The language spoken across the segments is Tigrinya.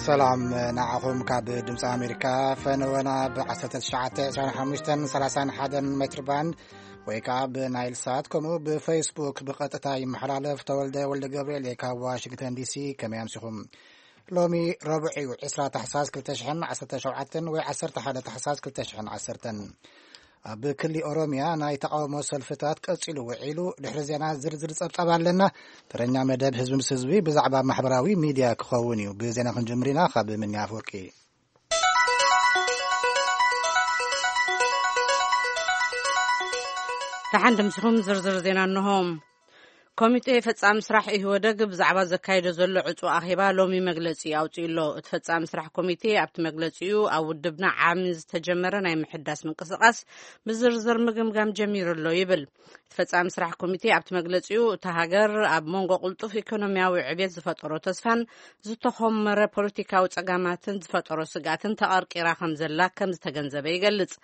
ሰላም ንዓኹም። ካብ ድምፂ ኣሜሪካ ፈነወና ብ1925 ሜትር ባንድ ወይ ከዓ ብናይል ሳት ከምኡ ብፌስቡክ ብቐጥታ ይመሓላለፍ። ተወልደ ወልደ ገብርኤል እየ ካብ ዋሽንግተን ዲሲ። ከመይ ኣምሲኹም? ሎሚ ረቡዕ እዩ፣ ዕስራ ታሕሳስ ክልተ ሽሕን ዓሰርተ ሸውዓተን ወይ ዓሰርተ ሓደ ታሕሳስ ክልተ ሽሕን ዓሰርተን። ኣብ ክሊ ኦሮሚያ ናይ ተቃውሞ ሰልፍታት ቀጺሉ ውዒሉ። ድሕሪ ዜና ዝርዝር ጸብጻብ ኣለና። ተረኛ መደብ ህዝቢ ምስ ህዝቢ ብዛዕባ ማሕበራዊ ሚድያ ክኸውን እዩ። ብዜና ክንጅምር ኢና። ካብ ምንያ ኣፈወርቂ። ደሓን ድምስኹም። ዝርዝር ዜና እንሆ። ኮሚቴ ፈጻሚ ስራሕ ኢህወደግ ብዛዕባ ዘካየዶ ዘሎ ዕጹ ኣኼባ ሎሚ መግለጺ ኣውጺኡ ኣሎ። እቲ ፈጻሚ ስራሕ ኮሚቴ ኣብቲ መግለጺኡ ኣብ ውድብና ዓሚ ዝተጀመረ ናይ ምሕዳስ ምንቅስቃስ ብዝርዝር ምግምጋም ጀሚሩ ኣሎ ይብል። እቲ ፈጻሚ ስራሕ ኮሚቴ ኣብቲ መግለጺኡ እታ ሃገር ኣብ መንጎ ቅልጡፍ ኢኮኖሚያዊ ዕብየት ዝፈጠሮ ተስፋን ዝተኾመረ ፖለቲካዊ ጸጋማትን ዝፈጠሮ ስግኣትን ተቐርቂራ ከም ዘላ ከም ዝተገንዘበ ይገልጽ።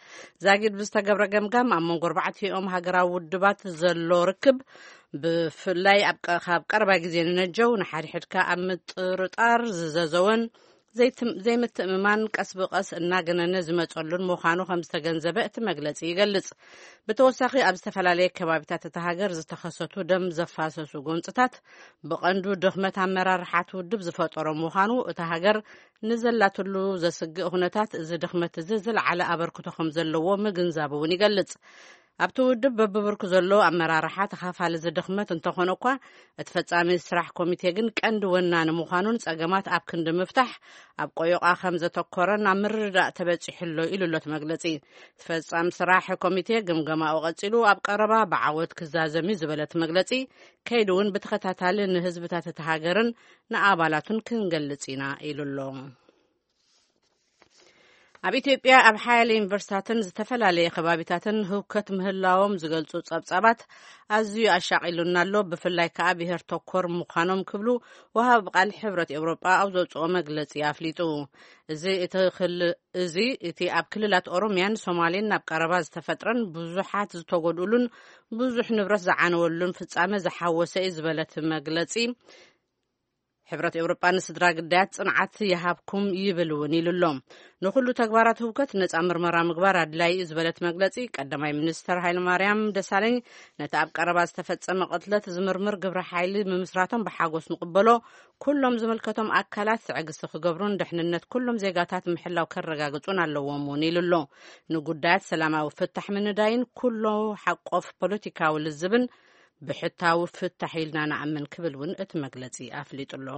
ዛጊድ ብዝተገብረ ገምጋም ኣብ መንጎ ኣርባዕቲኦም ሃገራዊ ውድባት ዘሎ ርክብ ብፍላይ ኣብ ቀ-፣ ካብ ቀረባ ግዜ ንነጀው ንሓድሕድካ ኣብ ምጥርጣር ዝዘዘወን ዘይትም-፣ ዘይምትእምማን ቀስ ብቐስ እናገነነ ዝመጸሉን ምዃኑ ከም ዝተገንዘበ እቲ መግለጺ ይገልጽ። ብተወሳኺ ኣብ ዝተፈላለየ ከባቢታት እታ ሃገር ዝተኸሰቱ ደም ዘፋሰሱ ጎንጽታት ብቐንዱ ድኽመት ኣመራርሓት ውድብ ዝፈጠሮ ምዃኑ፣ እታ ሃገር ንዘላትሉ ዘስግእ ኩነታት እዚ ድኽመት እዚ ዝለዓለ ኣበርክቶ ከም ዘለዎ ምግንዛቡ እውን ይገልጽ። ኣብቲ ውድብ በብብርኩ ዘሎ ኣመራርሓ ተኻፋሊ እዚ ድኽመት እንተኾነ እኳ፣ እቲ ፈጻሚ ስራሕ ኮሚቴ ግን ቀንዲ ወናኒ ምዃኑን ጸገማት ኣብ ክንዲ ምፍታሕ ኣብ ቆዮቓ ከም ዘተኮረን ኣብ ምርድዳእ ተበጺሑ ኣሎ ኢሉ ኣሎ እቲ መግለጺ። እቲ ፈጻሚ ስራሕ ኮሚቴ ግምገማኡ ቀጺሉ ኣብ ቀረባ ብዓወት ክዛዘም እዩ ዝበለ እቲ መግለጺ፣ ከይዱ እውን ብተኸታታሊ ንህዝብታት እቲ ሃገርን ንኣባላቱን ክንገልጽ ኢና ኢሉ ኣሎ። ኣብ ኢትዮጵያ ኣብ ሓያለ ዩኒቨርሲታትን ዝተፈላለየ ከባቢታትን ህውከት ምህላዎም ዝገልጹ ጸብጻባት ኣዝዩ ኣሻቒሉና ኣሎ፣ ብፍላይ ከኣ ብሄር ተኮር ምዃኖም ክብሉ ወሃቢ ቃል ሕብረት ኤውሮጳ ኣብ ዘውጽኦ መግለጺ ኣፍሊጡ። እዚ እቲ ክል-፣ እዚ እቲ ኣብ ክልላት ኦሮሚያን ሶማሌን ናብ ቀረባ ዝተፈጥረን ብዙሓት ዝተጎድኡሉን ብዙሕ ንብረት ዝዓነወሉን ፍጻመ ዝሓወሰ እዩ ዝበለት መግለጺ፣ ሕብረት ኤውሮጳ ንስድራ ግዳያት ጽንዓት ይሃብኩም ይብል እውን ኢሉ ኣሎ። ንኹሉ ተግባራት ህውከት ነጻ ምርመራ ምግባር ኣድላዪ እዩ ዝበለት መግለጺ፣ ቀዳማይ ሚኒስተር ሃይለማርያም ደሳለኝ ነቲ ኣብ ቀረባ ዝተፈጸመ ቅትለት ዝምርምር ግብረ ሓይሊ ምምስራቶም ብሓጎስ ንቕበሎ፣ ኩሎም ዝምልከቶም ኣካላት ትዕግስቲ ክገብሩን ድሕንነት ኩሎም ዜጋታት ምሕላው ከረጋግጹን ኣለዎም እውን ኢሉ ኣሎ። ንጉዳያት ሰላማዊ ፍታሕ ምንዳይን ኩሎ ሓቆፍ ፖለቲካዊ ልዝብን ብሕታዊ ፍታሕ ኢልና ንኣምን ክብል እውን እቲ መግለጺ ኣፍሊጡ ኣሎ።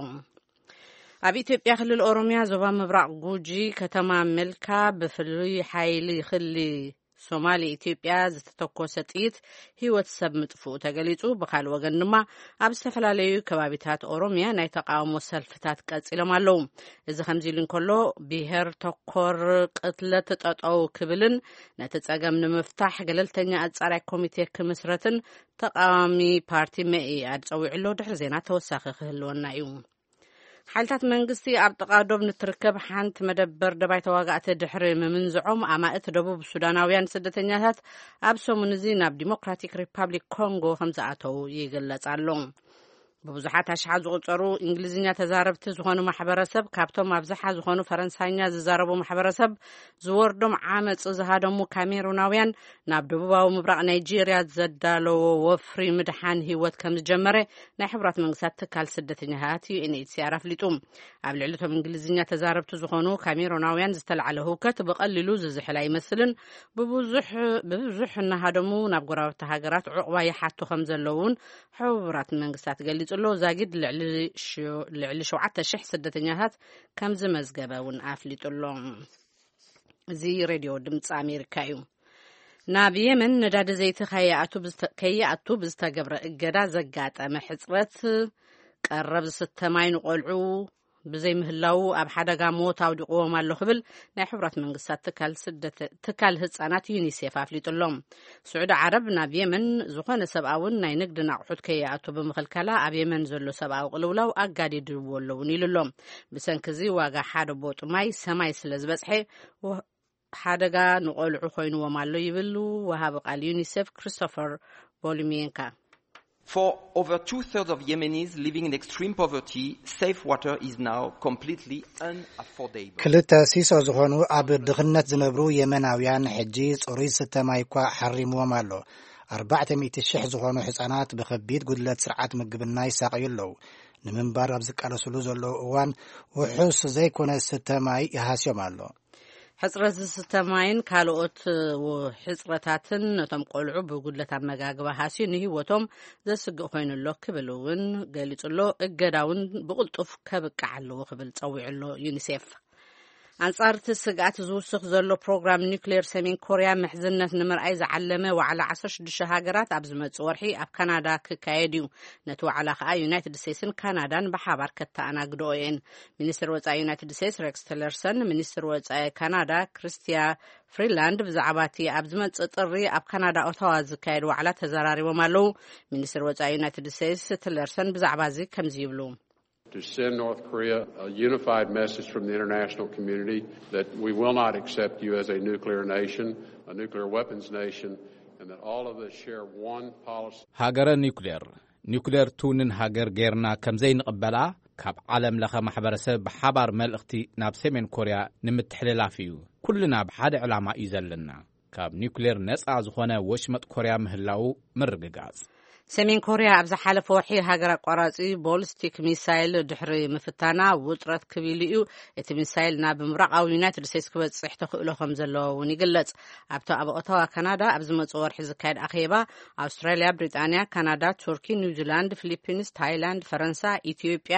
ኣብ ኢትዮጵያ ክልል ኦሮሚያ ዞባ ምብራቕ ጉጂ ከተማ መልካ ብፍሉይ ሓይሊ ክሊ ሶማሊ ኢትዮጵያ ዝተተኮሰ ጥይት ህይወት ሰብ ምጥፍኡ ተገሊጹ። ብኻልእ ወገን ድማ ኣብ ዝተፈላለዩ ከባቢታት ኦሮሚያ ናይ ተቃውሞ ሰልፍታት ቀጺሎም ኣለዉ። እዚ ከምዚ ኢሉ እንከሎ፣ ብሄር ተኮር ቅትለት ጠጠው ክብልን ነቲ ጸገም ንምፍታሕ ገለልተኛ ኣጻራይ ኮሚቴ ክምስረትን ተቃዋሚ ፓርቲ መኢኣድ ጸዊዑ ኣሎ። ድሕሪ ዜና ተወሳኺ ክህልወና እዩ። ሓይልታት መንግስቲ ኣብ ጥቓ ዶብ ንትርከብ ሓንቲ መደበር ደባይ ተዋጋእቲ ድሕሪ ምምንዝዖም፣ ኣማእት ደቡብ ሱዳናውያን ስደተኛታት ኣብ ሰሙን እዚ ናብ ዲሞክራቲክ ሪፓብሊክ ኮንጎ ከም ዝኣተዉ ይግለጽ ኣሎ። ብብዙሓት ኣሽሓት ዝቑጸሩ እንግሊዝኛ ተዛረብቲ ዝኾኑ ማሕበረሰብ፣ ካብቶም ኣብዝሓ ዝኾኑ ፈረንሳይኛ ዝዛረቡ ማሕበረሰብ ዝወርዶም ዓመጽ ዝሃደሙ ካሜሩናውያን ናብ ደቡባዊ ምብራቕ ናይጄርያ ዘዳለዎ ወፍሪ ምድሓን ህይወት ከም ዝጀመረ ናይ ሕቡራት መንግስታት ትካል ስደተኛታት ዩ ኤን ኤች ሲ ኣር ኣፍሊጡ። ኣብ ልዕሊ እቶም እንግሊዝኛ ተዛረብቲ ዝኾኑ ካሜሮናውያን ዝተላዕለ ህውከት ብቐሊሉ ዝዝሕል ኣይመስልን። ብብዙሕ፣ ብብዙሕ እናሃደሙ ናብ ጎረባብቲ ሃገራት ዕቑባ ይሓቱ ከም ዘለዉ እውን ሕቡራት መንግስታት ገሊጹ ኣሎ። ዛጊድ ልዕሊ ሽ-፣ ልዕሊ ሸውዓተ ሽሕ ስደተኛታት ከም ዝመዝገበ እውን ኣፍሊጡ ኣሎ። እዚ ሬድዮ ድምፂ ኣሜሪካ እዩ። ናብ የመን ነዳዲ ዘይቲ ከይኣቱ ብዝተ-፣ ከይኣቱ ብዝተገብረ እገዳ ዘጋጠመ ሕፅረት ቀረብ ዝስተ ማይ ንቆልዑ ብዘይምህላዉ ኣብ ሓደጋ ሞት ኣውዲቕዎም ኣሎ ክብል ናይ ሕቡራት መንግስታት ትካል ስደተ-፣ ትካል ህፃናት ዩኒሴፍ ኣፍሊጡ ኣሎ። ስዑዲ ዓረብ ናብ የመን ዝኾነ ሰብኣውን ናይ ንግድን ኣቑሑት ከይኣቱ ብምኽልካላ ኣብ የመን ዘሎ ሰብኣዊ ቅልውላው ኣጋዲድዎ ኣለውን ኢሉ ኣሎ። ብሰንኪ እዚ ዋጋ ሓደ ቦጥ ማይ ሰማይ ስለ ዝበፅሐ ወ-፣ ሓደጋ ንቆልዑ ኮይንዎም ኣሎ ይብል ወሃቢ ቃል ዩኒሴፍ ክሪስቶፈር ቦሊሚየንካ። For over two-thirds of Yemenis living in extreme poverty, safe water is now completely unaffordable. ክልተ ሲሶ ዝኾኑ ኣብ ድኽነት ዝነብሩ የመናውያን ሕጂ ጽሩይ ዝስተ ማይ እኳ ሓሪምዎም ኣሎ። ኣርባዕተ ሚእቲ ሽሕ ዝኾኑ ህጻናት ብኸቢድ ጉድለት ስርዓት ምግብና ይሳቐዩ ኣለዉ። ንምንባር ኣብ ዝቃለሱሉ ዘለዉ እዋን ውሑስ ዘይኮነ ዝስተ ማይ ይሃስዮም ኣሎ። ሕጽረት ዝስተ ማይን ካልኦት ው-፣ ሕጽረታትን ነቶም ቆልዑ ብጉድለት ኣመጋግባ ሃስዩ ንህይወቶም ዘስግእ ኮይኑ ኣሎ ክብል እውን ገሊጹ ኣሎ። እገዳ እውን ብቕልጡፍ ከብቅዕ ኣለዎ ክብል ጸዊዑ ኣሎ ዩኒሴፍ። ኣንጻር እቲ ስግኣት ዝውስኽ ዘሎ ፕሮግራም ኒውክሌር ሰሜን ኮርያ ምሕዝነት ንምርኣይ ዝዓለመ ዋዕላ ዓሰርተ ሽዱሽተ ሃገራት ኣብ ዝመጽእ ወርሒ ኣብ ካናዳ ክካየድ እዩ። ነቲ ዋዕላ ከኣ ዩናይትድ ስቴትስን ካናዳን ብሓባር ከተኣናግድኦ እየን። ሚኒስትር ወጻኢ ዩናይትድ ስቴትስ ሬክስ ቲለርሰን፣ ሚኒስትር ወጻኢ ካናዳ ክሪስቲያ ፍሪላንድ ብዛዕባ እቲ ኣብ ዝመጽእ ጥሪ ኣብ ካናዳ ኦታዋ ዝካየድ ዋዕላ ተዘራሪቦም ኣለዉ። ሚኒስትር ወጻኢ ዩናይትድ ስቴትስ ቲለርሰን ብዛዕባ እዚ ከምዚ ይብሉ። To send North Korea a unified message from the international community that we will not accept you as a nuclear nation, a nuclear weapons nation, and that all of us share one policy. ሃገረ ኒውክሌር፣ ኒውክሌር ትውንን ሃገር ጌርና ከም ዘይንቕበላ ካብ ዓለም ለኸ ማሕበረሰብ ብሓባር መልእኽቲ ናብ ሰሜን ኮርያ ንምትሕልላፍ እዩ። ኩልና ብሓደ ዕላማ እዩ ዘለና። ካብ ኒውክሌር ነጻ ዝኾነ ወሽመጥ ኮርያ ምህላው ምርግጋጽ። ሰሜን ኮርያ ኣብ ዝሓለፈ ወርሒ ሃገር ኣቋራጺ ቦሊስቲክ ሚሳይል ድሕሪ ምፍታና ውጥረት ክብ ኢሉ እዩ። እቲ ሚሳይል ናብ ምብራቓዊ ዩናይትድ ስቴትስ ክበጽሕ ተኽእሎ ከም ዘለዎ እውን ይግለጽ። ኣብቲ ኣብ ኦታዋ ካናዳ ኣብ ዝመጽእ ወርሒ ዝካየድ ኣኼባ ኣውስትራልያ፣ ብሪጣንያ፣ ካናዳ፣ ቱርኪ፣ ኒውዚላንድ፣ ፊሊፒንስ፣ ታይላንድ፣ ፈረንሳ፣ ኢትዮጵያ፣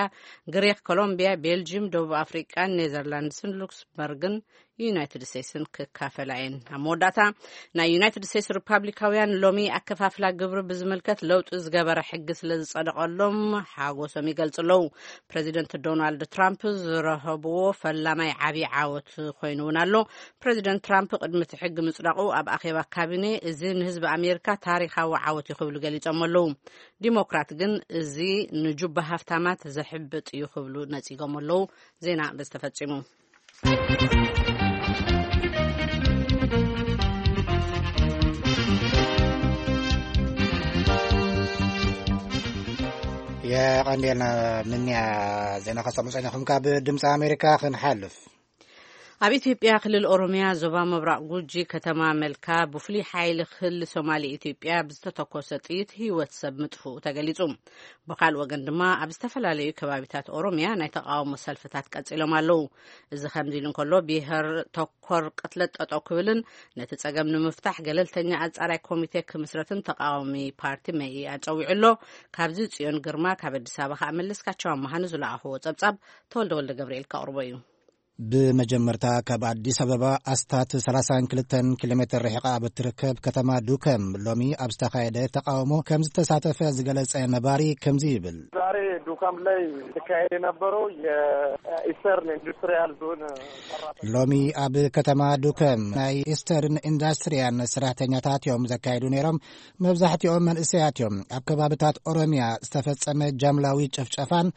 ግሪክ፣ ኮሎምቢያ፣ ቤልጂም፣ ደቡብ ኣፍሪቃን ኔዘርላንድስን ሉክስበርግን ዩናይትድ ስቴትስን ክካፈላ እየን። ኣብ መወዳእታ፣ ናይ ዩናይትድ ስቴትስ ሪፓብሊካውያን ሎሚ ኣከፋፍላ ግብሪ ብዝምልከት ለውጢ ዝገበረ ሕጊ ስለ ዝጸደቐሎም ሓጎሶም ይገልጹ ኣለዉ። ፕሬዚደንት ዶናልድ ትራምፕ ዝረኸብዎ ፈላማይ ዓብዪ ዓወት ኮይኑ እውን ኣሎ። ፕሬዚደንት ትራምፕ ቅድሚ እቲ ሕጊ ምጽዳቑ ኣብ ኣኼባ ካቢኔ፣ "እዚ ንህዝቢ ኣሜሪካ ታሪኻዊ ዓወት እዩ" ክብሉ ገሊጾም ኣለዉ። ዲሞክራት ግን፣ "እዚ ንጁባ ሃፍታማት ዘሕብጥ እዩ" ክብሉ ነጺጎም ኣለዉ። ዜና በዚ ተፈጺሙ። የቐንዴልና ምንያ ዜና ከሰሙ ጸኒኹም ካብ ድምፂ ኣሜሪካ ክንሓልፍ። ኣብ ኢትዮጵያ ክልል ኦሮሚያ ዞባ ምብራቕ ጉጂ ከተማ መልካ ብፍሉይ ሓይሊ ክልል ሶማሌ ኢትዮጵያ ብዝተተኮሰ ጥይት ህይወት ሰብ ምጥፍኡ ተገሊጹ። ብኻልእ ወገን ድማ ኣብ ዝተፈላለዩ ከባቢታት ኦሮሚያ ናይ ተቃውሞ ሰልፍታት ቀጺሎም ኣለዉ። እዚ ከምዚ ኢሉ እንከሎ፣ ብሄር ተኮር ቅትለት ጠጠው ክብልን ነቲ ጸገም ንምፍታሕ ገለልተኛ ኣጻራይ ኮሚቴ ክምስረትን ተቃዋሚ ፓርቲ መኢኣድ ጸዊዑ ኣሎ። ካብዚ ጽዮን ግርማ፣ ካብ ኣዲስ ኣበባ ከኣ መለስካቸው ኣመሃ ንዝለኣኽዎ ጸብጻብ ተወልደ ወልደ ገብርኤል ከቕርቦ እዩ። ብመጀመርታ ካብ ኣዲስ ኣበባ ኣስታት ሰላሳን ክልተን ኪሎ ሜትር ርሒቓ ኣብ እትርከብ ከተማ ዱከም ሎሚ ኣብ ዝተኻየደ ተቃውሞ ከም ዝተሳተፈ ዝገለጸ ነባሪ ከምዚ ይብል። ዛሬ ዱከም ላይ ሲካሄድ የነበረው የኢስተርን ኢንዱስትሪያል ዞን ሰራተኛ ሎሚ ኣብ ከተማ ዱከም ናይ ኢስተርን ኢንዳስትሪያን ሰራሕተኛታት እዮም ዘካየዱ ነይሮም። መብዛሕትኦም መንእሰያት እዮም። ኣብ ከባብታት ኦሮሚያ ዝተፈጸመ ጃምላዊ ጭፍጨፋን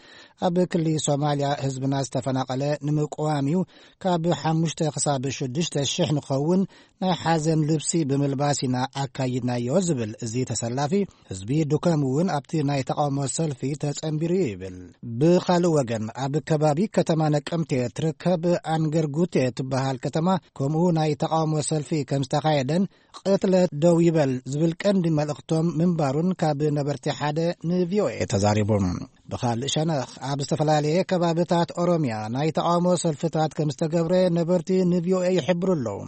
ኣብ ክሊ ሶማልያ ህዝብና ዝተፈናቐለ ንምቅዋም እዩ። ካብ ሓሙሽተ ክሳብ ሽዱሽተ ሽሕ ንኸውን ናይ ሓዘን ልብሲ ብምልባስ ኢና ኣካይድናዮ ዝብል እዚ ተሰላፊ፣ ህዝቢ ዱከም እውን ኣብቲ ናይ ተቃውሞ ሰልፊ ተጸንቢሩ እዩ ይብል። ብኻልእ ወገን፣ ኣብ ከባቢ ከተማ ነቀምቴ ትርከብ ኣንገርጉቴ ትበሃል ከተማ ከምኡ ናይ ተቃውሞ ሰልፊ ከም ዝተኻየደን ቅትለት ደው ይበል ዝብል ቀንዲ መልእኽቶም ምንባሩን ካብ ነበርቲ ሓደ ንቪኦኤ ተዛሪቡ። ብኻልእ ሸነኽ፣ ኣብ ዝተፈላለየ ከባብታት ኦሮሚያ ናይ ተቃውሞ ሰልፍታት ከም ዝተገብረ ነበርቲ ንቪኦኤ ይሕብሩ ኣለዉ።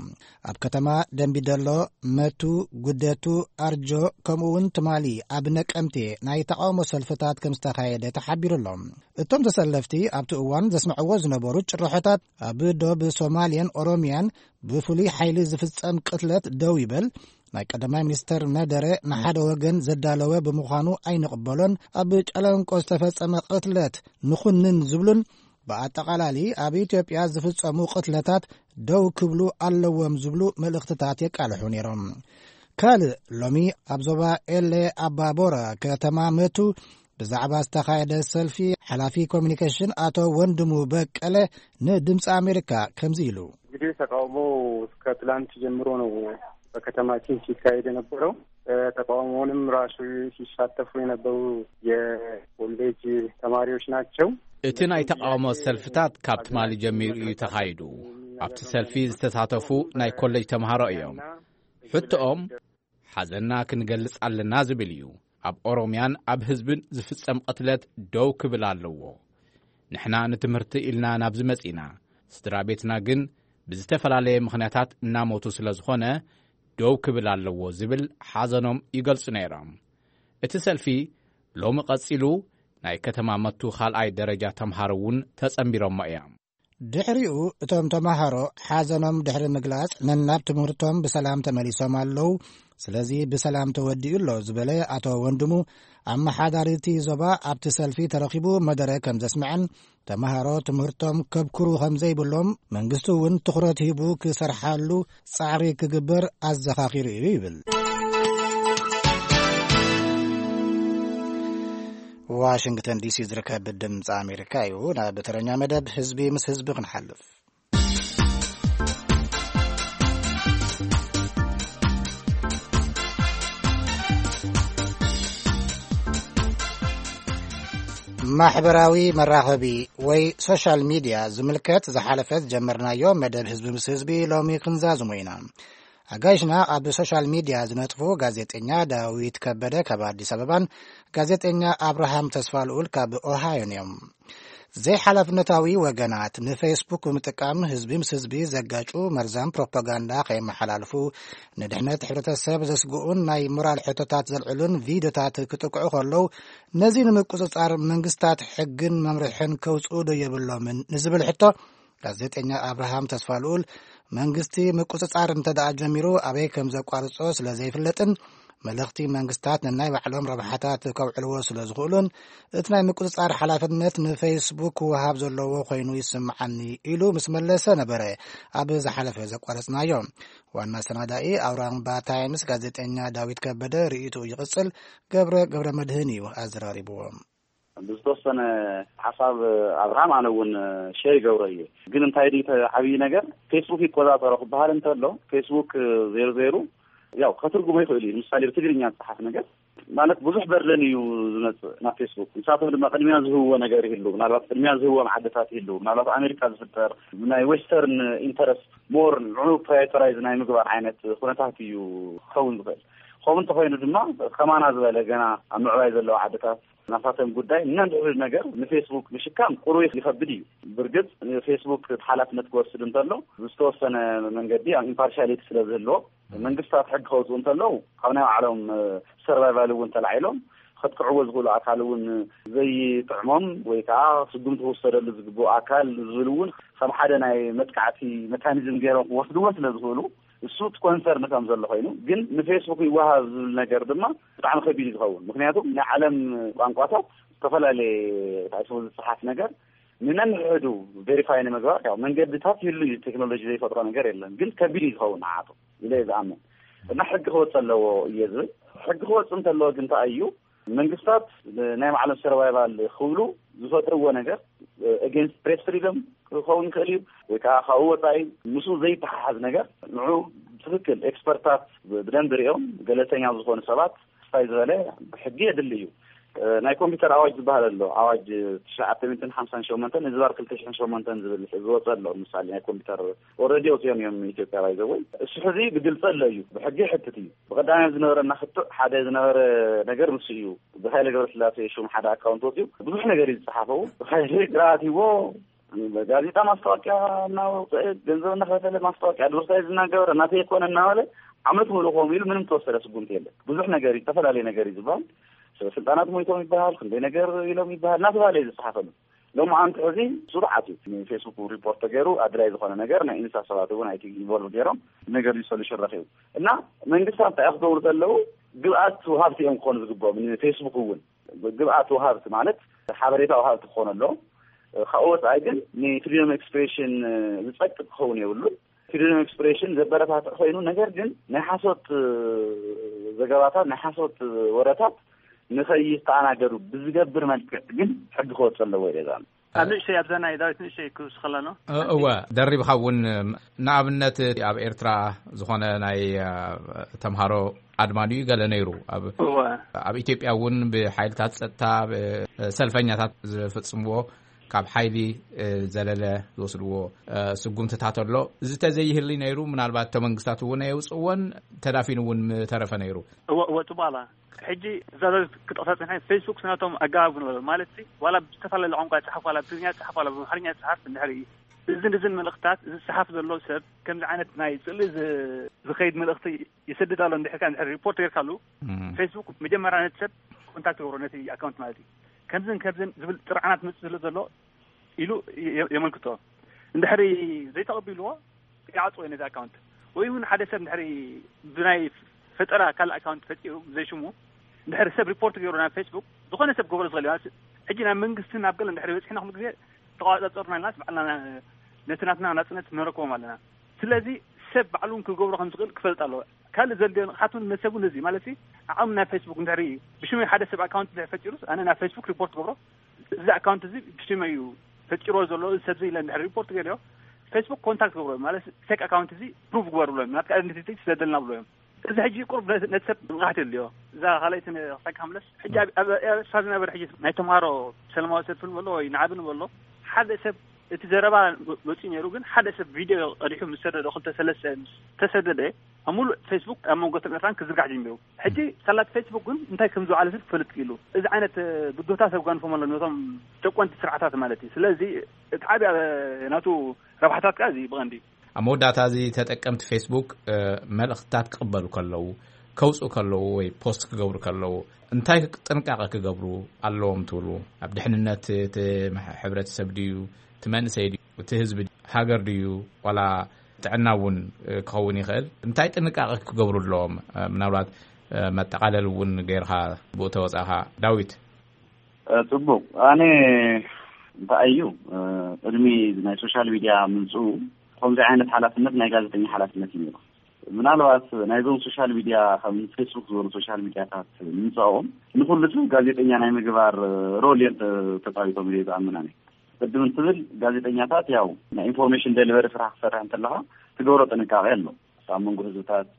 ኣብ ከተማ ደምቢደሎ፣ መቱ፣ ጉደቱ፣ ኣርጆ፣ ከምኡ እውን ትማሊ ኣብ ነቀምቴ ናይ ተቃውሞ ሰልፍታት ከም ዝተኻየደ ተሓቢሩ ኣሎ። እቶም ተሰለፍቲ ኣብቲ እዋን ዘስምዕዎ ዝነበሩ ጭርሖታት፣ ኣብ ዶብ ሶማልያን ኦሮሚያን ብፍሉይ ሓይሊ ዝፍጸም ቅትለት ደው ይበል፣ ናይ ቀዳማይ ሚኒስተር መደረ ንሓደ ወገን ዘዳለወ ብምዃኑ ኣይንቕበሎን፣ ኣብ ጨለንቆ ዝተፈጸመ ቅትለት ንኹንን ዝብሉን፣ ብኣጠቓላሊ ኣብ ኢትዮጵያ ዝፍጸሙ ቅትለታት ደው ክብሉ ኣለዎም ዝብሉ መልእኽትታት የቃልሑ ነይሮም። ካልእ ሎሚ ኣብ ዞባ ኤሌ ኣባቦራ ከተማ መቱ ብዛዕባ ዝተኻየደ ሰልፊ ሓላፊ ኮሚኒኬሽን ኣቶ ወንድሙ በቀለ ንድምፂ ኣሜሪካ ከምዚ ኢሉ። እንግዲህ ተቃውሞ ከትላንት ጀምሮ ነው በከተማችን ሲካሄድ የነበረው። ተቃውሞውንም ራሱ ሲሳተፉ የነበሩ የኮሌጅ ተማሪዎች ናቸው። እቲ ናይ ተቃውሞ ሰልፍታት ካብ ትማሊ ጀሚሩ እዩ ተኻይዱ። ኣብቲ ሰልፊ ዝተሳተፉ ናይ ኮሌጅ ተምሃሮ እዮም። ሕቶኦም ሓዘንና ክንገልጽ ኣለና ዝብል እዩ። ኣብ ኦሮምያን ኣብ ህዝብን ዝፍጸም ቅትለት ደው ክብል ኣለዎ። ንሕና ንትምህርቲ ኢልና ናብዚ መጺና፣ ስድራ ቤትና ግን ብዝተፈላለየ ምኽንያታት እናሞቱ ስለ ዝኾነ ደው ክብል ኣለዎ ዝብል ሓዘኖም ይገልጹ ነይሮም። እቲ ሰልፊ ሎሚ ቀጺሉ፣ ናይ ከተማ መቱ ካልኣይ ደረጃ ተምሃሮ እውን ተጸንቢሮሞ እዮም። ድሕሪኡ እቶም ተምሃሮ ሓዘኖም ድሕሪ ምግላጽ፣ ነናብ ትምህርቶም ብሰላም ተመሊሶም ኣለዉ። ስለዚ ብሰላም ተወዲኡ ኣሎ ዝበለ ኣቶ ወንድሙ፣ ኣመሓዳሪቲ ዞባ ኣብቲ ሰልፊ ተረኺቡ መደረ ከም ዘስምዐን፣ ተምሃሮ ትምህርቶም ከብክሩ ከም ዘይብሎም፣ መንግስቲ እውን ትኹረት ሂቡ ክሰርሓሉ ጻዕሪ ክግበር ኣዘኻኺሩ እዩ ይብል። ዋሽንግተን ዲሲ ዝርከብ ድምፂ ኣሜሪካ እዩ። ናብ ተረኛ መደብ ህዝቢ ምስ ህዝቢ ክንሓልፍ። ማሕበራዊ መራኸቢ ወይ ሶሻል ሚድያ ዝምልከት ዝሓለፈ ዝጀመርናዮ መደብ ህዝቢ ምስ ህዝቢ ሎሚ ክንዛዝሞ ኢና። ኣጋይሽና ኣብ ሶሻል ሚድያ ዝነጥፉ ጋዜጠኛ ዳዊት ከበደ ካብ ኣዲስ ኣበባን ጋዜጠኛ ኣብርሃም ተስፋልኡል ካብ ኦሃዮን እዮም። ዘይሓላፍነታዊ ወገናት ንፌስቡክ ብምጥቃም ህዝቢ ምስ ህዝቢ ዘጋጩ መርዛም ፕሮፓጋንዳ ከየመሓላልፉ፣ ንድሕነት ሕብረተሰብ ዘስግኡን ናይ ሞራል ሕቶታት ዘልዕሉን ቪድዮታት ክጥቅዑ ከለዉ፣ ነዚ ንምቁጽጻር መንግስታት ሕግን መምርሕን ከውጽኡ ዶ የብሎምን ንዝብል ሕቶ፣ ጋዜጠኛ ኣብርሃም ተስፋልኡል፣ መንግስቲ ምቁጽጻር እንተ ደኣ ጀሚሩ፣ ኣበይ ከም ዘቋርጾ ስለ ዘይፍለጥን፣ መልእኽቲ መንግስታት ነናይ ባዕሎም ረብሓታት ከውዕልዎ ስለ ዝኽእሉን፣ እቲ ናይ ምቁጽጻር ሓላፍነት ንፌስቡክ ክወሃብ ዘለዎ ኮይኑ ይስምዓኒ ኢሉ ምስ መለሰ ነበረ ኣብ ዝሓለፈ ዘቋረጽናዮ። ዋና ሰናዳኢ ኣውራምባ ታይምስ ጋዜጠኛ ዳዊት ከበደ ርእይትኡ ይቕጽል፣ ገብረ ገብረ መድህን እዩ ኣዘራሪብዎ። ብዝተወሰነ ሓሳብ ኣብርሃም ኣነ እውን ሸር ይገብሮ እየ። ግን እንታይ ድዩ እቲ ዓብዪ ነገር፣ ፌስቡክ ይቆጻጸሮ ክበሃል እንተሎ፣ ፌስቡክ ዜሮ ዜሮ ያው ከትርጉሞ ይኽእል እዩ። ንምሳሌ ብትግርኛ ዝጸሓፍ ነገር ማለት ብዙሕ በርደን እዩ ዝመጽእ ናብ ፌስቡክ። ንሳቶም ድማ ቅድሚያ ዝህብዎ ነገር ይህሉ፣ ምናልባት ቅድሚያ ዝህብዎም ዓድታት ይህሉ፣ ምናልባት ኣሜሪካ ዝፍጠር ናይ ዌስተርን ኢንተረስት ሞር ንዑ ፕራዮሪታይዝ ናይ ምግባር ዓይነት ኩነታት እዩ ክኸውን ዝኽእል። ከምኡ እንተኾይኑ ድማ ከማና ዝበለ ገና ኣብ ምዕባይ ዘለዋ ዓድታት ናሳቶም ጉዳይ ነንሕድ ነገር ንፌስቡክ ምሽካም ቁሩይ ይኸብድ እዩ። ብርግጽ ንፌስቡክ እቲ ሓላፍነት ክወስድ እንተሎ ብዝተወሰነ መንገዲ ኣብ ኢምፓርሻሊቲ ስለ ዝህልዎ መንግስታት ሕጊ ከውፅኡ እንተለዉ ካብ ናይ ባዕሎም ሰርቫይቫል እውን ተላዒሎም ከጥቅዕዎ ዝኽእሉ ኣካል እውን ዘይጥዕሞም ወይ ከዓ ስጉምቲ ክውሰደሉ ዝግብኡ ኣካል ዝብል እውን ከም ሓደ ናይ መጥቃዕቲ መካኒዝም ገይሮም ክወስድዎ ስለ ዝኽእሉ እሱ እቲ ኮንሰርን ከም ዘሎ ኮይኑ ግን ንፌስቡክ ይወሃብ ዝብል ነገር ድማ ብጣዕሚ ከቢድ እዩ ዝኸውን። ምክንያቱ ናይ ዓለም ቋንቋታት ዝተፈላለየ ታይስቡ ዝፅሓፍ ነገር ንነንሕዱ ቬሪፋይ ንምግባር ያው መንገድታት ይህሉ እዩ። ቴክኖሎጂ ዘይፈጥሮ ነገር የለን። ግን ከቢድ እዩ ዝኸውን ንዓቱ ኢለ እየ ዝኣምን እና ሕጊ ክወፅ ኣለዎ እየ ዝብል። ሕጊ ክወፅ እንተለዎ ግን እንታይ እዩ መንግስታት ናይ ባዕሎም ሰርቫይቫል ክብሉ ዝፈጥርዎ ነገር ኤጌንስት ፕሬስ ፍሪደም ክኸውን ይኽእል እዩ ወይ ከዓ ካብኡ ወፃኢ ምስኡ ዘይተሓሓዝ ነገር ንዑ ትክክል ኤክስፐርታት ብደንብ ሪኦም ገለልተኛ ዝኾኑ ሰባት ስፋይ ዝበለ ሕጊ የድሊ እዩ። ናይ ኮምፒውተር ኣዋጅ ዝበሃል ኣሎ። ኣዋጅ ትሽዓተ ሚእትን ሓምሳን ሸሞንተን ንዝባር ክልተ ሽሕን ሸሞንተን ዝብል ዝወፀ ኣሎ። ምሳሌ ናይ ኮምፒውተር ኦረዲ ወፅኦም እዮም ኢትዮጵያ ባይዘወይ እሱ ሕዚ ብግልፂ ኣሎ እዩ ብሕጊ ሕትት እዩ። ብቀዳማይ ዝነበረና ክትዕ ሓደ ዝነበረ ነገር ምስ እዩ ብሃይለ ገብረስላሴ ሹም ሓደ ኣካውንት ወፅኡ ብዙሕ ነገር እዩ ዝፀሓፈው ብሃይለ ግራት ይዎ ጋዜጣ ማስታወቂያ እናወፀ ገንዘብ እናኸፈለ ማስታወቂያ ኣድቨርታይዝ እናገበረ እናተይ ኮነ እናበለ ዓመት ሙሉእ ከምኡ ኢሉ ምንም ተወሰደ ስጉምቲ የለን። ብዙሕ ነገር እዩ ዝተፈላለየ ነገር እዩ ዝበሃል። ስልጣናት ሞይቶም ይበሃል ክንደይ ነገር ኢሎም ይበሃል እናተባሃለ እዩ ዝፀሓፈሉ። ሎማዓንቲ ሕዚ ስሩዓት እዩ ንፌስቡክ ሪፖርት ተገይሩ ኣድላይ ዝኾነ ነገር ናይ ኢንሳ ሰባት እውን ኣይቲ ኢንቮልቭ ገይሮም ነገር እዩ ሶሉሽን ረኪቡ እና መንግስታት እንታይ ክገብሩ ዘለዉ ግብኣት ውሃብቲ እዮም ክኾኑ ዝግብኦም ንፌስቡክ እውን ግብኣት ውሃብቲ ማለት ሓበሬታ ውሃብቲ ክኾኑ ኣለዎም። ካብ ወፃኢ ግን ንፍሪደም ኤክስፕሬሽን ዝፀቅጥ ክኸውን የብሉን። ፍሪደም ኤክስፕሬሽን ዘበረታትዕ ኮይኑ ነገር ግን ናይ ሓሶት ዘገባታት ናይ ሓሶት ወረታት ንኸይተኣናገዱ ብዝገብር መልክዕ ግን ሕጊ ክወፅ ኣለዎ ኢለ ዝኣምን። ኣብ ንእሽተይ ኣብዛ ናይ ዳዊት ንእሽተይ ክውስኸላ ነው። እ-፣ እወ፣ ደሪብኻ እውን፣ ንኣብነት ኣብ ኤርትራ ዝኾነ ናይ፣ እ፣ ተምሃሮ ኣድማ ድዩ ገለ ነይሩ። ኣብ፣ እወ። ኣብ ኢትዮጵያ እውን ብሓይልታት ጸጥታ፣ ብ-፣ ሰልፈኛታት ዝፍጽምዎ ካብ ሓይሊ፣ እ፣ ዘለለ ዝወስድዎ፣ እ፣ ስጉምትታት ኣሎ። እዚ ተዘይህሊ ነይሩ፣ ምናልባት እቶ መንግስታት እውን ኣየውፅእዎን፣ ተዳፊኑ እውን ምተረፈ ነይሩ። እወ፣ እወ፣ ጽቡቕ ኣላ። ሕጂ እዛ ዛዛት ክጠቕሳ ጽንሐ፣ ፌስቡክ ስናቶም ኣገባብ ኣለዎ። ማለት ሲ፣ ዋላ ብዝተፈላለየ ቋንቋ ይጽሓፍ፣ ዋላ ብትግርኛ ይጽሓፍ፣ ዋላ ብኣምሓርኛ ይጽሓፍ፣ እንድሕር እዚ ንዝን መልእኽታት፣ እዚ ዝጽሓፍ ዘሎ ሰብ ከምዚ ዓይነት ናይ ጽልኢ ዝ-፣ ዝኸይድ መልእኽቲ ይሰድድ ኣሎ፣ እንድሕር ከኣ፣ እንድሕር ሪፖርት ጌርካሉ፣ እም። ፌስቡክ መጀመርያ ነቲ ሰብ ኮንታክት ይገብሮ፣ ነቲ ኣካውንት ማለት እዩ። ከምዝን ከምዝን ዝብል ጥርዓናት መጽእ ስለ ዘሎ ኢሉ የ-፣ የመልክቶ። እንድሕሪ ዘይተቐቢልዎ፣ ይዓጽዎ ነዚ ኣካውንት። ወይ እውን ሓደ ሰብ እንድሕሪ ብናይ ፈጠራ ካልእ ኣካውንት ፈጢሩ ዘይሽሙ እንድሕሪ ሰብ ሪፖርት ገይሩ ናብ ፌስቡክ፣ ዝኾነ ሰብ ክገብሮ ዝኽእል እዩ። ሕጂ ናብ መንግስቲ ናብ ገለ እንድሕሪ በፂሕና ኩሉ ግዜ ተቆፃፀሩና ኢልናስ ባዕልና ነቲ ናትና ናፅነት ነረክቦም ኣለና። ስለዚ ሰብ ባዕሉ እውን ክገብሮ ከም ዝኽእል ክፈልጥ ኣለዎ። ካልእ ዘድልዮ ንቕሓት እውን ነቲ ሰብ እውን እዚ ማለት ሲ ዓቕሚ ናይ ፌስቡክ እንድሕሪ ብሽመይ ሓደ ሰብ ኣካውንት እንድሕሪ ፈጢሩስ ኣነ ናብ ፌስቡክ ሪፖርት ክገብሮ እዚ ኣካውንት እዚ ብሽመይ እዩ ፈጢሮ ዘሎ እዚ ሰብ እዚ ኢለ እንድሕር ሪፖርት ገይረዮ ፌስቡክ ኮንታክት ገብሮ ማለት ፌክ ኣካውንት እዚ ፕሩቭ ግበር ብሎ እዮም ናትካ ኣይደንቲቲ ስደደልና ብሎ እዮም። እዚ ሕጂ ቁሩብ ነቲ ነቲ ሰብ ንቕሓት የድልዮ። እዛ ካልኣይቲ ንኽሳካ ክምለስ ሕጂ ኣብ ኣብ ኣብ ኤርትራ ዝነበረ ሕጂ ናይ ተምሃሮ ሰለማዊ ሰልፊ ንበሎ ወይ ንዓቢ ንበሎ ሓደ ሰብ እቲ ዘረባ መፂኡ ነይሩ ግን ሓደ ሰብ ቪድዮ ቀዲሑ ምስ ሰደዶ ክልተ ሰለስተ ምስ ተሰደደ ኣብ ሙሉእ ፌስቡክ ኣብ መንጎ ኤርትራን ክዝርጋሕ ጀሚሩ። ሕጂ ሳላት ፌስቡክ ግን እንታይ ከም ዝውዓለ ሰብ ክፈልጥ ክኢሉ። እዚ ዓይነት ብድሆታት ኣጓንፎም ኣሎ ነቶም ጨቆንቲ ስርዓታት ማለት እዩ። ስለዚ እቲ ዓብያ ናቱ ረብሓታት ከኣ እዚ ብቐንዲ ኣብ መወዳእታ እዚ ተጠቀምቲ ፌስቡክ፣ እ፣ መልእኽትታት ክቕበሉ ከለዉ፣ ከውጽኡ ከለዉ ወይ ፖስት ክገብሩ ከለዉ እንታይ ጥንቃቐ ክገብሩ ኣለዎም ትብሉ? ኣብ ድሕንነት እቲ መሕ-፣ ሕብረተሰብ ድዩ፣ እቲ መንእሰይ ድዩ፣ እቲ ህዝቢ ድዩ፣ ሃገር ድዩ፣ ዋላ ጥዕና እውን፣ እ፣ ክኸውን ይኽእል። እንታይ ጥንቃቐ ክገብሩ ኣለዎም? እ፣ ምናልባት፣ እ፣ መጠቓለል እውን ጌርካ ብኡ ተወጻኻ። ዳዊት። እ፣ ጽቡቕ። ኣነ እንታይ እዩ፣ እ፣ ቅድሚ ናይ ሶሻል ሚድያ ምምጽኡ ከምዚ ዓይነት ሓላፍነት ናይ ጋዜጠኛ ሓላፍነት እዩ ነይሩ። ምናልባት ናይዞም ሶሻል ሚድያ ከም ፌስቡክ ዝበሉ ሶሻል ሚድያታት ምምጻኦም ንኹሉ ሰብ ጋዜጠኛ ናይ ምግባር፣ እ፣ ሮል እዮም ተ-፣ ተጻዊቶም ኢለ ዝኣምን ኣነ። ቅድም እንትብል ጋዜጠኛታት ያው ናይ ኢንፎርሜሽን ደሊቨሪ ስራሕ ክሰርሕ እንተለኻ ትገብሮ ጥንቃቄ ኣሎ። ኣብ መንጎ ህዝብታት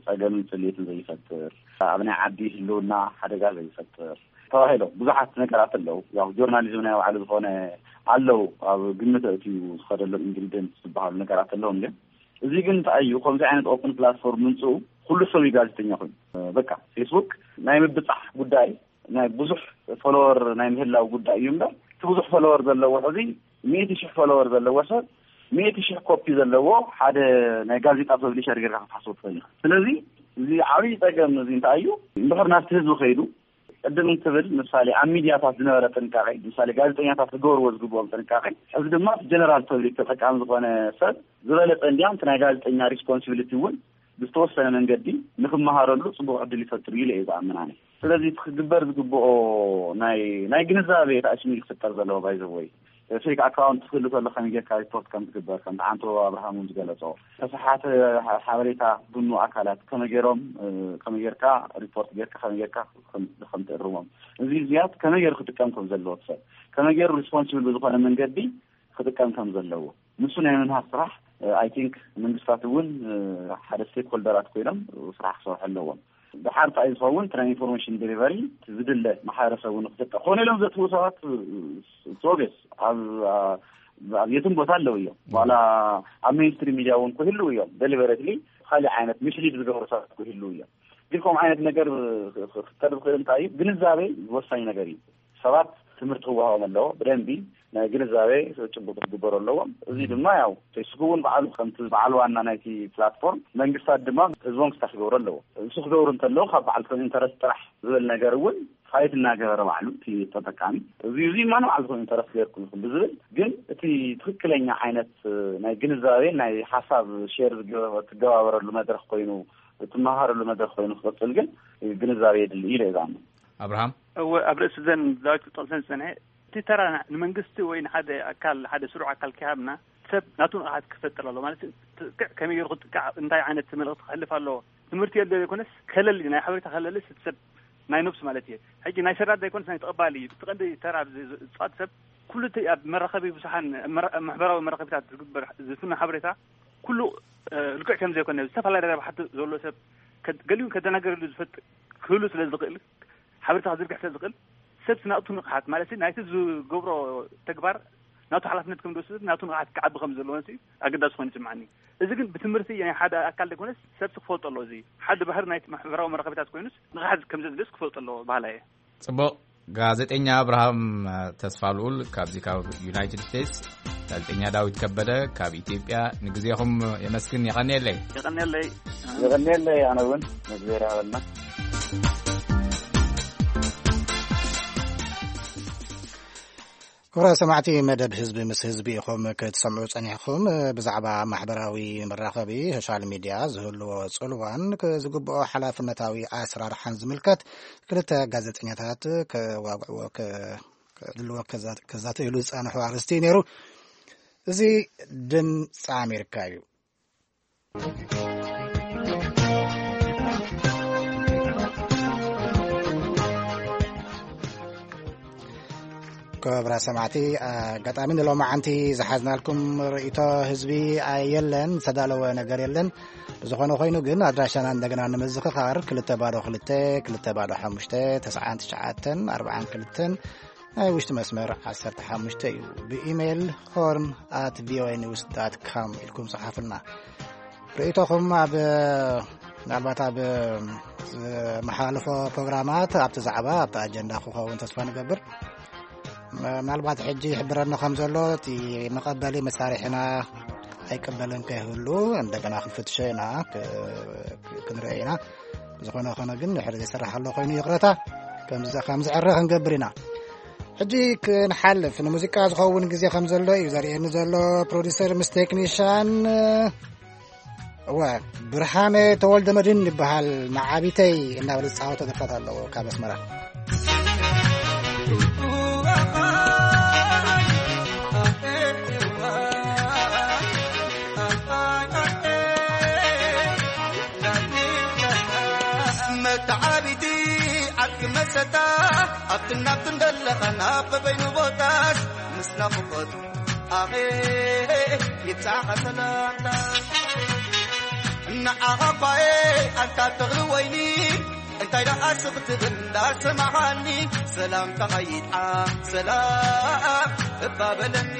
ጸገምን ጽልኢትን ዘይፈጥር፣ ኣብ ናይ ዓዲ ህልውና ሓደጋ ዘይፈጥር ተባሂሎም ብዙሓት ነገራት ኣለዉ። ያው ጆርናሊዝም ናይ ባዕሉ ዝኾነ ኣለዉ፣ ኣብ ግምት ኣእትዩ ዝኸደሎም ኢንግሪዲየንት ዝበሃሉ ነገራት ኣለዉ። ግን እዚ ግን እንታይ እዩ፣ ከምዚ ዓይነት ኦፕን ፕላትፎርም ምምጽኡ ኩሉ ሰብ እዩ ጋዜጠኛ ኮይኑ። በቃ ፌስቡክ ናይ ምብጻሕ ጉዳይ ናይ ብዙሕ ፎሎወር ናይ ምህላው ጉዳይ እዩ እምበር፣ እቲ ብዙሕ ፎሎወር ዘለዎ ሕዚ ሚእቲ ሽሕ ፎሎወር ዘለዎ ሰብ ሚእቲ ሽሕ ኮፒ ዘለዎ ሓደ ናይ ጋዜጣ ፐብሊሸር ጌርካ ክትሓስቦ ትኽእል ኢኻ። ስለዚ እዚ ዓብዪ ጸገም እዚ እንታይ እዩ? እንድሕር ናብቲ ህዝቢ ከይዱ ቅድም እንትብል ምሳሌ ኣብ ሚድያታት ዝነበረ ጥንቃቄ፣ ምሳሌ ጋዜጠኛታት ክገብርዎ ዝግብኦም ጥንቃቄ፣ ሕዚ ድማ እቲ ጀነራል ፐብሊክ ተጠቃሚ ዝኾነ ሰብ ዝበለጸ እንዲያም እቲ ናይ ጋዜጠኛ ሪስፖንሲቢሊቲ እውን ብዝተወሰነ መንገዲ ንክመሃረሉ ጽቡቕ ዕድል ይፈጥር ኢለ እየ ዝኣምን ኣነ። ስለዚ እቲ ክግበር ዝግብኦ ናይ፣ ናይ ግንዛቤ ተኣሽሚ ክፍጠር ዘለዎ ባይ ዘ ወይ ፌክ ኣካውንት ክህሉ ከሎ ከመይ ጌርካ ሪፖርት ከም ትግበር፣ ከምቲ ዓንቶ ኣብርሃም እውን ዝገለጾ፣ ተሰሓተ ሓ-፣ ሓበሬታ ዝብኑ ኣካላት ከመይ ጌሮም፣ እ፣ ከመይ ጌርካ ሪፖርት ጌርካ፣ ከመይ ጌርካ ከም፣ ከም ትእርሞም፣ እዚ እዚያት ከመይ ጌሩ ክጥቀም ከም ዘለዎ፣ ሰብ ከመይ ጌሩ ሪስፖንሲብል ብዝኾነ መንገዲ ክጥቀም ከም ዘለዎ፣ ንሱ ናይ ምምሃር ስራሕ፣ እ፣ ኣይ ቲንክ መንግስታት እውን፣ እ፣ ሓደ ስቴክ ሆልደራት ኮይኖም ስራሕ ክሰርሑ ኣለዎም። ደሓር እንታይ እዩ ዝኸውን? እቲ ናይ ኢንፎርሜሽን ዴሊቨሪ ዝድለ ማሕበረሰብ እውን ክጥቀ-፣ ኮነ ኢሎም ዘጥፍኡ ሰባት፣ እ፣ እ፣ ሶቤስ ኣብ፣ ኣ-፣ ኣብ የትም ቦታ ኣለዉ እዮም። ዋላ ኣብ ሜንስትሪም ሚድያ እውን ክህልዉ እዮም። ደሊበረትሊ ካሊእ ዓይነት ሚስሊድ ዝገብሩ ሰባት ክህልዉ እዮም። ግን ከምኡ ዓይነት ነገር ክ-፣ ክ-፣ ክፈጥር ዝኽእል እንታይ እዩ? ግንዛቤ ወሳኝ ነገር እዩ። ሰባት ትምህርቲ ክወሃቦም ኣለዎ። ብደንቢ ናይ ግንዛቤ ጭቡጥ ክግበሩ ኣለዎም። እዚ ድማ ያው ፌስቡክ እውን ባዕሉ ከምቲ በዓል ዋና ናይቲ ፕላትፎርም መንግስታት ድማ ህዝቦም ክስታፍ ክገብሩ ኣለዎ። እሱ ክገብሩ እንተለዉ ካብ በዓልቶም ኢንተረስት ጥራሕ ዝብል ነገር እውን ፋይት እናገበረ ባዕሉ እቲ ተጠቃሚ እዚ፣ እዚ ማን ባዕልኩም ኢንተረስት ገይርኩም ኢኹም ብዝብል ግን እቲ ትኽክለኛ ዓይነት ናይ ግንዛቤ ናይ ሓሳብ ሼር ዝገ-፣ ትገባበረሉ መድረኽ ኮይኑ፣ ትመሃረሉ መድረኽ ኮይኑ ክቕጽል ግን ግንዛቤ የድሊ ኢለ እየ ዝኣምን። ኣብርሃም? እወ፣ ኣብ ርእሲ ዘን ዳዊት ክጠቕሰን ዝጸንሐ፣ እቲ ተራ ንመንግስቲ ወይ ንሓደ ኣካል፣ ሓደ ስሩዕ ኣካል ከይሃብና፣ ሰብ ናቱ ንቕሓት ክፈጥር ኣሎ ማለት፣ ጥቅዕ ከመይ ገይሩ ክጥቃዕ፣ እንታይ ዓይነት መልእኽቲ ክሕልፍ ኣለዎ፣ ትምህርቲ የለ ዘይኮነስ፣ ከለሊ፣ ናይ ሓበሬታ ከለሊ፣ እቲ ሰብ ናይ ነብሱ ማለት እየ። ሕጂ ናይ ሰዳድ ዘይኮነስ ናይ ተቐባሊ እዩ። እቲ ቀንዲ ተራ ኣብዚ ዝ-፣ ዝጻወት ሰብ ኩሉ እቲ ኣብ መራኸቢ ብዙሓን፣ መራ-፣ ማሕበራዊ መራኸቢታት ዝግበር ዝፍኖ ሓበሬታ ኩሉ፣ እ፣ ልክዕ ከም ዘይኮነ፣ ዝተፈላለየ ረብሓ ዘሎ ሰብ ከ-፣ ገሊኡ ከደናገረሉ ዝፈጥ-፣ ክህሉ ስለ ዝኽእል፣ ሓበሬታ ክዝርግሕ ስለ ዝኽእል፣ ሰብ ናቱ ንቕሓት ማለት ናይቲ ዝገብሮ ተግባር ናቱ ሓላፍነት ከም ዝወስድ፣ ናቱ ንቕሓት ክዓቢ ከም ዘለዎን ኣገዳሲ ኮይኑ ይስምዓኒ። እዚ ግን ብትምህርቲ ናይ ሓደ ኣካል ዘይኮነስ ሰብ ክፈልጦ ኣለዎ። እዚ ሓደ ባህሪ ናይ ማሕበራዊ መራኸቢታት ኮይኑስ ንቕሓት ከም ዘድልዮስ ክፈልጦ ኣለዎ በሃላይ እየ። ጽቡቕ። ጋዜጠኛ ኣብርሃም ተስፋልኡል ካብዚ ካብ ዩናይትድ ስቴትስ፣ ጋዜጠኛ ዳዊት ከበደ ካብ ኢትዮጵያ፣ ንግዜኹም የመስግን። የቐንየለይ። የቐንየለይ። የቐንየለይ። ኣነ እውን ንእግዚኣብሔር ይሃበልና። ክቡራት ሰማዕቲ፣ መደብ ህዝቢ ምስ ህዝቢ ኢኹም ክትሰምዑ ጸኒሕኩም። ብዛዕባ ማሕበራዊ መራኸቢ፣ ሶሻል ሚድያ፣ ዝህልዎ ጽልዋን ዝግብኦ ሓላፍነታዊ ኣሰራርሓን ዝምልከት ክልተ ጋዜጠኛታት ከዋግዕዎ፣ ከ-፣ ከዕልልዎ፣ ከዛ-፣ ከዛተይሉ ዝጸንሑ ኣርእስቲ እዩ ነይሩ። እዚ ድምፂ ኣሜሪካ እዩ። ክቡራት ሰማዕቲ፣ ኣጋጣሚ ንሎማዓንቲ ዝሓዝናልኩም ርእይቶ ህዝቢ የለን፣ ዝተዳለወ ነገር የለን። ብዝኾነ ኮይኑ ግን ኣድራሻና እንደገና ንምዝኽኻር፣ ክልተ ባዶ ክልተ፣ ክልተ ባዶ ሓሙሽተ፣ ተስዓን ትሽዓተን ኣርባዓን ክልተን፣ ናይ ውሽጢ መስመር ዓሰርተ ሓሙሽተ እዩ። ብኢሜይል ሆርን ኣት ቪኦኤ ኒውስ ዳት ካም ኢልኩም ጸሓፉልና። ርእይቶኹም ኣብ፣ ምናልባት ኣብ ዝመሓላለፎ ፕሮግራማት ኣብቲ ዛዕባ፣ ኣብቲ ኣጀንዳ ክኸውን ተስፋ ንገብር። ምናልባት ሕጂ ይሕብረና ከም ዘሎ፣ እቲ መቐበሊ መሳርሒና ኣይቀበልን ከይህሉ እንደገና ክንፍትሾ ኢና፣ ክ-፣ ክንርኢ ኢና። ዝኾነ ኾነ ግን ድሕሪ ዘይሰራሕ ኣሎ ኮይኑ ይቕረታ፣ ከም ዝ-፣ ከም ዝዕረ ክንገብር ኢና። ሕጂ ክንሓልፍ፣ ንሙዚቃ ዝኸውን ግዜ ከም ዘሎ እዩ ዘርእየኒ ዘሎ። ፕሮዲሰር ምስ ቴክኒሻን፣ እወ፣ ብርሃነ ተወልደ መድህን ይበሃል። መዓቢተይ እናበለ ዝፃወቶ ደርፍታት ኣለዎ ካብ ኣስመራ። መተዓቢቲ ዓርኪ መሰታ ኣብትን ናብትን ደለኻ ናብ በበይኑ ቦታስ ምስ ናፍቖት ኣኼ ይብጻኻ ሰላምታ። ንዓኻ እኳ እየ ኣንታ ተኽሊ ወይኒ፣ እንታይ ደኣ ስቕ ትብል እንዳሰማዓኒ፣ ሰላምታኻ ይጥዓም ሰላም እባ በለኒ።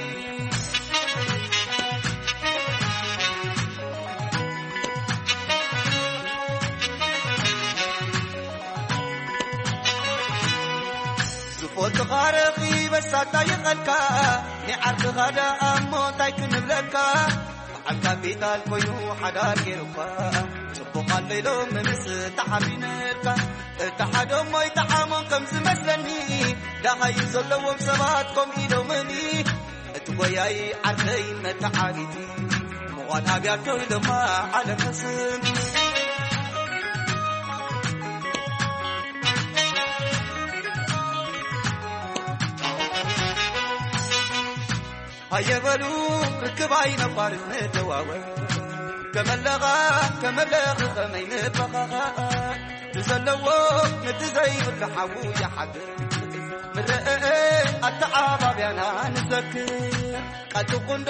ዝፎትኻ ረኺበ ሳታ ይቐልካ፣ ንዓርክኻ ደኣ እሞ እንታይ ክንብለካ? በዓል ካፒታል ኮይኑ ሓዳር ገይሩካ፣ ጽቡቕ ኣሎ ኢሎም ምስ ተሓቢነካ፣ እቲ ሓደ እሞ ይጠዓሞም ከም ዝመስለኒ፣ ደሃዩ ዘለዎም ሰባት ከምኡ ኢሎምኒ። እቲ ጎያይ ዓርከይ መተዓቢቲ፣ ምዃን ኣብያቶ ኢሎማ ዓለም ተስም። ሃየ በሉ ርክብ ኣይነቋርጽ ንደዋወል፣ ከመለኻ ከመለኺ ከመይ ንበኻኻ፣ እቲ ዘለዎ ነቲ ዘይብሉ ሓዉ ይሓድር። ምረአ ኣተዓባብያና ንዘክር፣ ቃል ትኹንዶ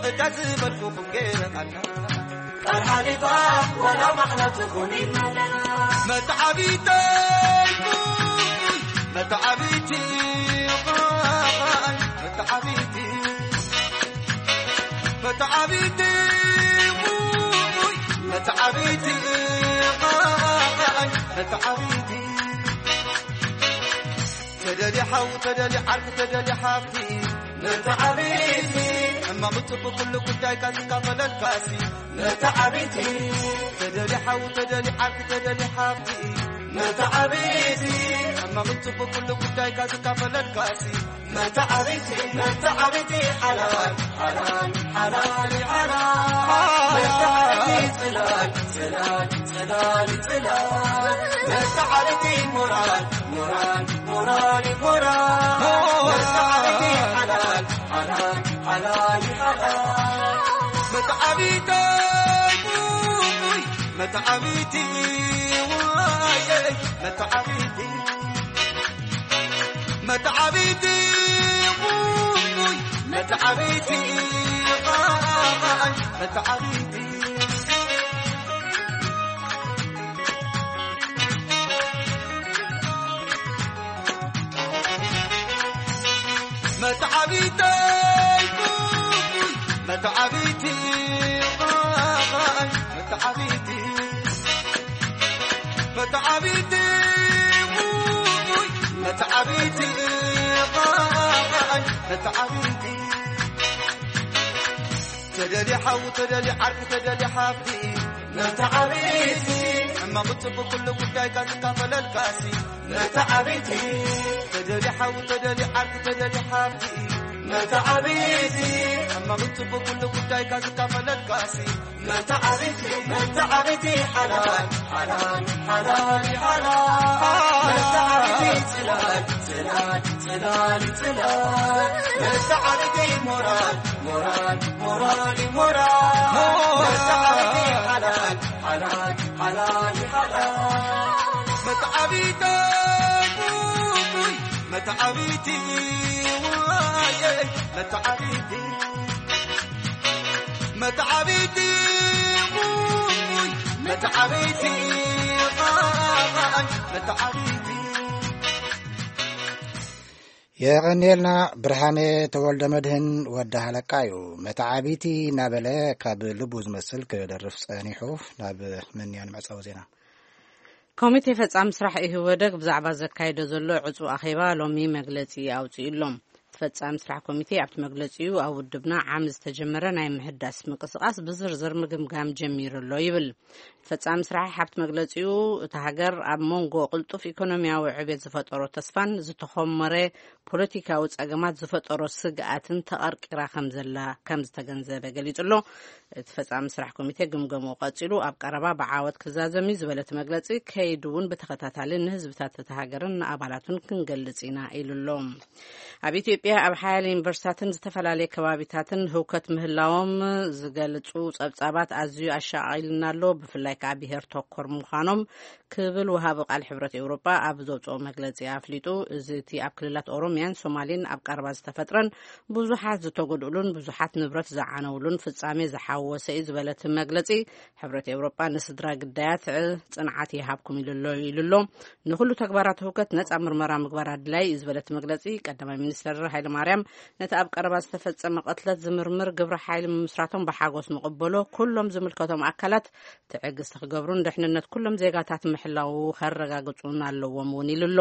እታ ዝበልኩኹም ገይረኻና። ቃል ሓሊፋ ወላ ማሕላ ትኹን ኢልናለና። መተዓቢተይ፣ መተዓቢቲ፣ መተዓቢቲ፣ መተዓቢቲ፣ መተዓቢቲ፣ መተዓቢቲ። ተደሊ ሓው፣ ተደሊ ዓርኪ፣ ተደሊ ሓፍቲ፣ መተዓቢቲ። ሕማቕ ጽቡቕ ኩሉ ጉዳይካ ዝካፈለልካሲ፣ መተዓቢቲ። ተደሊ ሓው፣ ተደሊ ዓርኪ፣ ተደሊ ሓፍቲ፣ መተዓቢቲ። ሕማቕ ጽቡቕ ኩሉ ጉዳይካ ዝካፈለልካሲ፣ መተዓቢቲ፣ መተዓቢቲ ሓላል፣ ሓላል፣ ሓላል፣ ሓላል። መተዓቢቲ ጽላል፣ ጽላል፣ ጽላል፣ ጽላል። መተዓቢቲ ሞራል፣ ሞራል፣ ሞራል፣ ሞራል። መተዓቢቲ ሓላል፣ ሓላል፣ ሓላል፣ ሓላል። መተዓቢቲ፣ መተዓቢቲ፣ ዋየ፣ መተዓቢቲ። መተዓቢቲ፣ መተዓቢቲ፣ መተዓቢቲ። መተዓቢተይ፣ መተዓቢቲ፣ መተዓቢቲ። መተዓቢቲ፣ ውይ፣ መተዓቢቲ፣ መተዓቢቲ። ተደሊ ሓው፣ ተደሊ ዓርኪ፣ ተደሊ ሓፍቲ፣ መተዓቢቲ። ሕማቕ ጽቡቕ ኩሉ ጉዳይካ ዝካፈለልካሲ፣ መተዓቢቲ። ተደሊ ሓው፣ ተደሊ ዓርኪ፣ ተደሊ ሓፍቲ፣ መተዓቢቲ። ሕማቕ ጽቡቕ ኩሉ ጉዳይካ ዝካፈለልካሲ፣ መተዓቢቲ፣ መተዓቢቲ ሓላል፣ ሓላል፣ ሓላል፣ ሓላል። መተዓቢቲ ጽላል፣ ጽላል፣ ጽላል፣ ጽላል። መተዓቢቲ ሞራል፣ ሞራል፣ ሞራል፣ ሞራል። መተዓቢቲ ሓላል፣ ሓላል፣ ሓላል፣ ሓላል። መተዓቢቲ ቡቡይ፣ መተዓቢቲ ዋየ፣ መተዓቢቲ። መተዓቢቲ፣ ውይ፣ መተዓቢቲ፣ መተዓቢቲ። የቐንየልና። ብርሃነ ተወልደ መድህን ወዲ ሃለቃ እዩ። መተዓቢቲ እናበለ ካብ ልቡ ዝመስል ክደርፍ ጸኒሑ። ናብ መንያ ንመዕጸዊ ዜና። ኮሚቴ ፈጻሚ ስራሕ ኢህወደግ ብዛዕባ ዘካይዶ ዘሎ ዕጹ ኣኼባ ሎሚ መግለጺ ኣውጺኡ ኣሎ። ፈጻሚ ስራሕ ኮሚቴ ኣብቲ መግለጺኡ ኣብ ውድብና ዓሚ ዝተጀመረ ናይ ምህዳስ ምንቅስቃስ ብዝርዝር ምግምጋም ጀሚሩ ኣሎ ይብል። ፈጻሚ ስራሕ ኣብቲ መግለጺኡ እታ ሃገር ኣብ መንጎ ቅልጡፍ ኢኮኖሚያዊ ዕቤት ዝፈጠሮ ተስፋን ዝተኾመረ ፖለቲካዊ ጸገማት ዝፈጠሮ ስግኣትን ተቐርቂራ ከም ዘላ ከም ዝተገንዘበ ገሊጹ ኣሎ። እቲ ፈጻሚ ስራሕ ኮሚቴ ግምገምኡ ቀጺሉ ኣብ ቀረባ ብዓወት ክዛዘም እዩ ዝበለ እቲ መግለጺ፣ ከይዱ እውን ብተኸታታሊ ንህዝብታት እታ ሃገርን ንኣባላቱን ክንገልጽ ኢና ኢሉ ኣሎ። ኣብ ኢትዮጵያ ኣብ ሓያለ ዩኒቨርሲታትን ዝተፈላለየ ከባቢታትን ህውከት ምህላዎም ዝገልጹ ጸብጻባት ኣዝዩ ኣሻቒልና ኣሎ፣ ብፍላይ ከኣ ብሄር ተኮር ምዃኖም ክብል ወሃቢ ቃል ሕብረት ኤውሮጳ ኣብ ዘውጽኦ መግለጺ ኣፍሊጡ። እዚ እቲ ኣብ ክልላት ኦሮሚያን ሶማሌን ኣብ ቀረባ ዝተፈጥረን ብዙሓት ዝተጎድኡሉን ብዙሓት ንብረት ዝዓነውሉን ፍጻሜ ዝሓወሰ እዩ ዝበለ እቲ መግለጺ፣ ሕብረት ኤውሮጳ ንስድራ ግዳያት ጽንዓት ይሃብኩም ኢሉ ኣሎ፣ ኢሉ ኣሎ። ንኹሉ ተግባራት ህውከት ነጻ ምርመራ ምግባር ኣድላይ እዩ ዝበለ እቲ መግለጺ፣ ቀዳማይ ሚኒስትር ሃይለ ማርያም ነቲ ኣብ ቀረባ ዝተፈጸመ ቅትለት ዝምርምር ግብረ ሓይሊ ምምስራቶም ብሓጎስ ንቕበሎ፣ ኩሎም ዝምልከቶም ኣካላት ትዕግስቲ ክገብሩን ድሕንነት ኩሎም ዜጋታት ምሕላው ከረጋግጹን ኣለዎም እውን ኢሉ ኣሎ።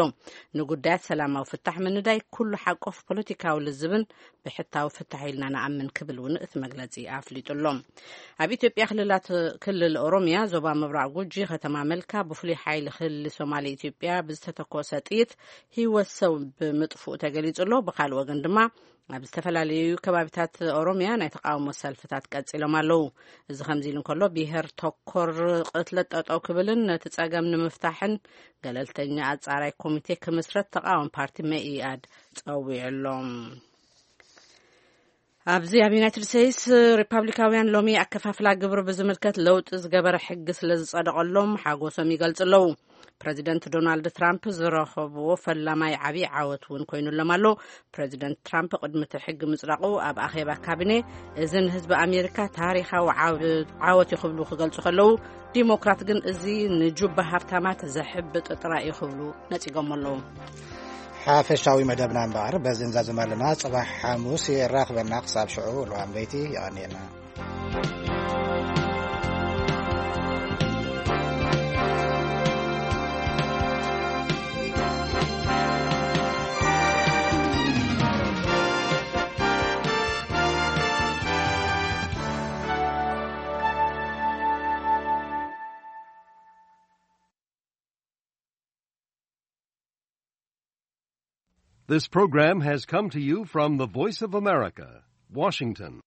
ንጉዳያት ሰላማዊ ፍታሕ ምንዳይ ኩሉ ሓቆፍ ፖለቲካዊ ልዝብን ብሕታዊ ፍታሕ ኢልና ንኣምን ክብል እውን እቲ መግለጺ ኣፍሊጡ ኣሎ። ኣብ ኢትዮጵያ ክልላት፣ ክልል ኦሮሚያ ዞባ ምብራቕ ጉጂ ከተማ መልካ ብፍሉይ ሓይሊ ክልል ሶማሌ ኢትዮጵያ ብዝተተኮሰ ጥይት ህይወት ሰብ ብምጥፍኡ ተገሊጹ ኣሎ። ብኻልእ ወገን ድማ ኣብ ዝተፈላለዩ ከባቢታት ኦሮሚያ ናይ ተቃውሞ ሰልፍታት ቀጺሎም ኣለዉ። እዚ ከምዚ ኢሉ እንከሎ፣ ብሄር ተኮር ቅትለት ጠጠው ክብልን ነቲ ጸገም ንምፍታሕን ገለልተኛ ኣጻራይ ኮሚቴ ክምስረት ተቃዋሚ ፓርቲ መኢኣድ ጸዊዑ ኣሎ። ኣብዚ ኣብ ዩናይትድ ስቴትስ፣ ሪፓብሊካውያን ሎሚ ኣከፋፍላ ግብሪ ብዝምልከት ለውጢ ዝገበረ ሕጊ ስለ ዝጸደቐሎም ሓጎሶም ይገልጹ ኣለዉ። ፕረዚደንት ዶናልድ ትራምፕ ዝረኸብዎ ፈላማይ ዓብዪ ዓወት እውን ኮይኑሎም ኣሎ። ፕረዚደንት ትራምፕ ቅድሚ እቲ ሕጊ ምጽዳቑ ኣብ ኣኼባ ካቢኔ፣ "እዚ ንህዝቢ ኣሜሪካ ታሪኻዊ ዓብ-፣ ዓወት እዩ" ክብሉ ክገልጹ ከለዉ፣ ዲሞክራት ግን "እዚ ንጁባ ሃብታማት ዘሕብጥ ጥራይ እዩ" ክብሉ ነጺጎም ኣለዉ። ሓፈሻዊ መደብና እምበኣር በዚ ንዛዝም ኣለና። ጽባሕ ሓሙስ የራኽበና። ክሳብ ሽዑ፣ ልዋም ለይቲ፣ የቐንየልና። This program has come to you from the Voice of America, Washington.